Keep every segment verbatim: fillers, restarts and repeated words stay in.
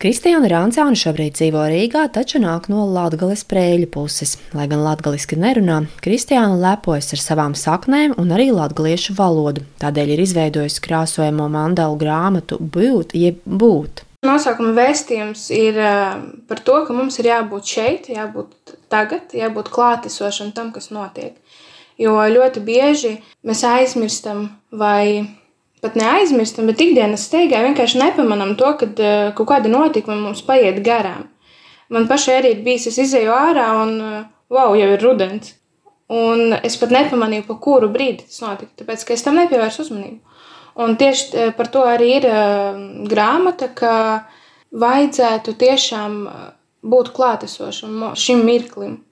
Kristiāna Rancāne šobrīd dzīvo Rīgā, taču nāk no Latgales Prēļu puses. Lai gan latgaliski nerunā, Kristiāna lepojas ar savām saknēm un arī latgaliešu valodu. Tādēļ ir izveidojusi krāsojamo mandalu grāmatu Būt, jeb būt. Nosaukuma vēstījums ir par to, ka mums ir jābūt šeit, jābūt tagad, jābūt klātesošam tam, kas notiek. Jo ļoti bieži mēs aizmirstam vai pat neaizmirstam, bet ikdienas steigā vienkārši nepamanām to, kad kaut kāda notikuma mums paiet garām. Man pašai arī ir bijis, es izeju ārā un wow, jau ir rudens. Un es pat nepamanīju, pa kuru brīdi tas notika, tāpēc, ka es tam nepievērsu uzmanību. Un tieši par to arī ir grāmata, ka vajadzētu tiešām būt klātesošam šim mirklim.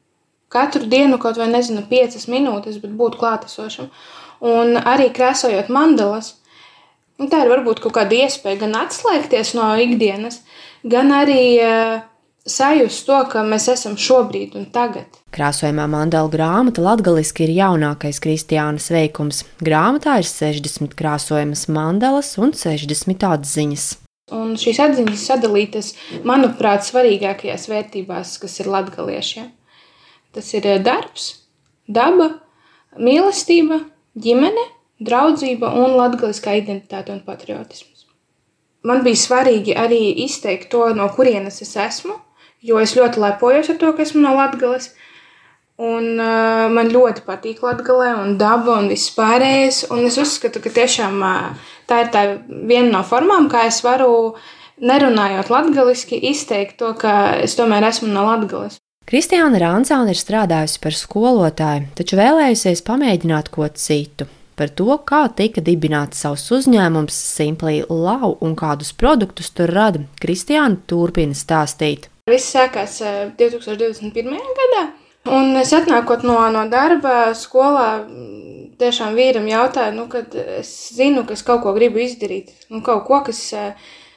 Katru dienu kaut vai, nezinu, piecas minūtes, bet būt klātesošam. Un arī krāsojot mandalas, tā ir varbūt kaut kāda iespēja gan atslēgties no ikdienas, gan arī uh, sajust to, ka mēs esam šobrīd un tagad. Krāsojamā mandalu grāmata latgaliski ir jaunākais Kristiānas veikums. Grāmatā ir sešdesmit krāsojamas mandalas un sešdesmit atziņas. Un šīs atziņas sadalītas, manuprāt, svarīgākajās vērtībās, kas ir latgaliešiem. Tas ir darbs, daba, mīlestība, ģimene, draudzība un latgaliskā identitāte un patriotisms. Man bija svarīgi arī izteikt to, no kurienes es esmu, jo es ļoti lepojos ar to, ka esmu no Latgales. Un uh, man ļoti patīk Latgalē un daba un viss pārējais. Un es uzskatu, ka tiešām uh, tā ir tā viena no formām, kā es varu, nerunājot latgaliski, izteikt to, ka es tomēr esmu no Latgales. Kristiāna Rancāne ir strādājusi par skolotāju, taču vēlējusies pamēģināt ko citu. Par to, kā tika dibināts savs uzņēmums Simply Lau un kādus produktus tur rada, Kristiāna turpina stāstīt. Viss sākās divi tūkstoši divdesmit pirmajā gadā, un es atnākot no, no darba skolā, tiešām vīram jautāju, nu, kad es zinu, ka es kaut ko gribu izdarīt, nu, kaut ko, kas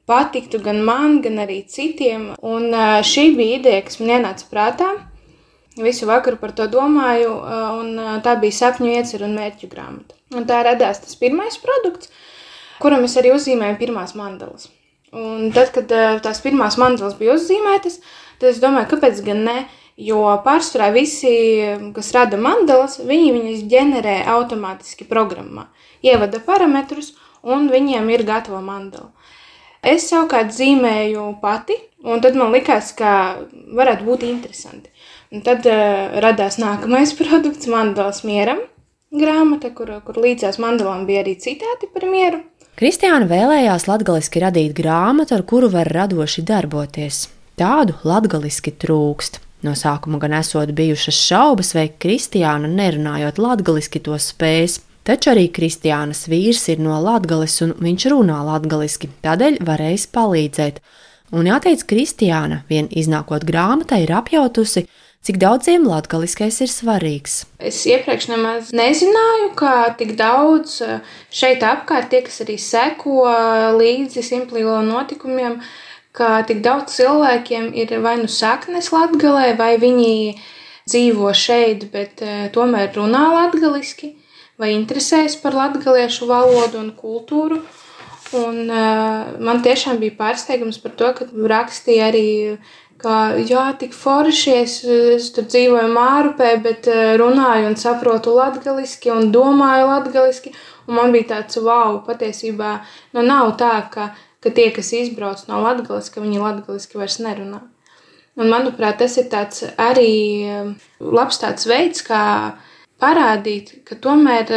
patiktu gan man, gan arī citiem, un šī bija ideja, kas man ienāca prātā. Visu vakaru par to domāju, un tā bija sapņu ieceru un mērķu grāmata. Un tā radās tas pirmais produkts, kuram es arī uzzīmēju pirmās mandalas. Un tad, kad tās pirmās mandalas bija uzzīmētas, tad es domāju, kāpēc gan ne, jo pārsvarā visi, kas rada mandalas, viņi viņas ģenerē automātiski programmā. Ievada parametrus, un viņiem ir gatava mandala. Es savukārt zīmēju pati, un tad man likās, ka varētu būt interesanti. Un tad uh, radās nākamais produkts, Mandalas mieram grāmata, kur, kur līdzās mandalām bija arī citāti par mieru. Kristiāna vēlējās latgaliski radīt grāmatu, ar kuru var radoši darboties. Tādu latgaliski trūkst. No sākuma gan esot bijušas šaubas, vai Kristiāna nerunājot latgaliski to spēs. Taču arī Kristiānas vīrs ir no Latgales un viņš runā latgaliski, tādēļ varēs palīdzēt. Un jāteic, Kristiāna, vien iznākot grāmatai, ir apjautusi, cik daudziem latgaliskais ir svarīgs. Es iepriekš nemaz nezināju, ka tik daudz šeit apkārt, tie, kas arī seko līdzi Simply Lau notikumiem, ka tik daudz cilvēkiem ir vai nu saknes Latgalē, vai viņi dzīvo šeit, bet tomēr runā latgaliski, vai interesējas par latgaliešu valodu un kultūru. Un uh, man tiešām bija pārsteigums par to, ka rakstīja arī, ka jā, tik forši, es, es tur dzīvoju Mārupē, bet uh, runāju un saprotu latgaliski un domāju latgaliski. Un man bija tāds, wow, patiesībā, nu nav tā, ka, ka tie, kas izbrauc no Latgales, ka viņi latgaliski vairs nerunā. Un manuprāt, tas ir tāds arī labs tāds veids, kā parādīt, ka tomēr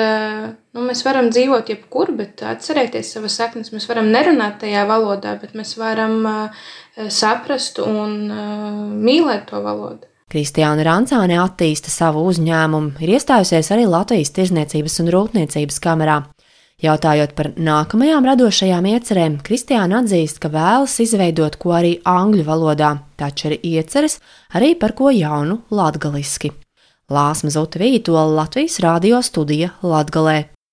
nu, mēs varam dzīvot jebkur, bet atcerēties savas saknes. Mēs varam nerunāt tajā valodā, bet mēs varam uh, saprast un uh, mīlēt to valodu. Kristiāna Rancāne attīsta savu uzņēmumu, ir iestājusies arī Latvijas Tirzniecības un Rūpniecības kamerā. Jautājot par nākamajām radošajām iecerēm, Kristiāna atzīst, ka vēlas izveidot ko arī angļu valodā, taču ir ieceres arī par ko jaunu latgaliski. Lāsma Zuta Vītola, Latvijas radio studija Latgalē.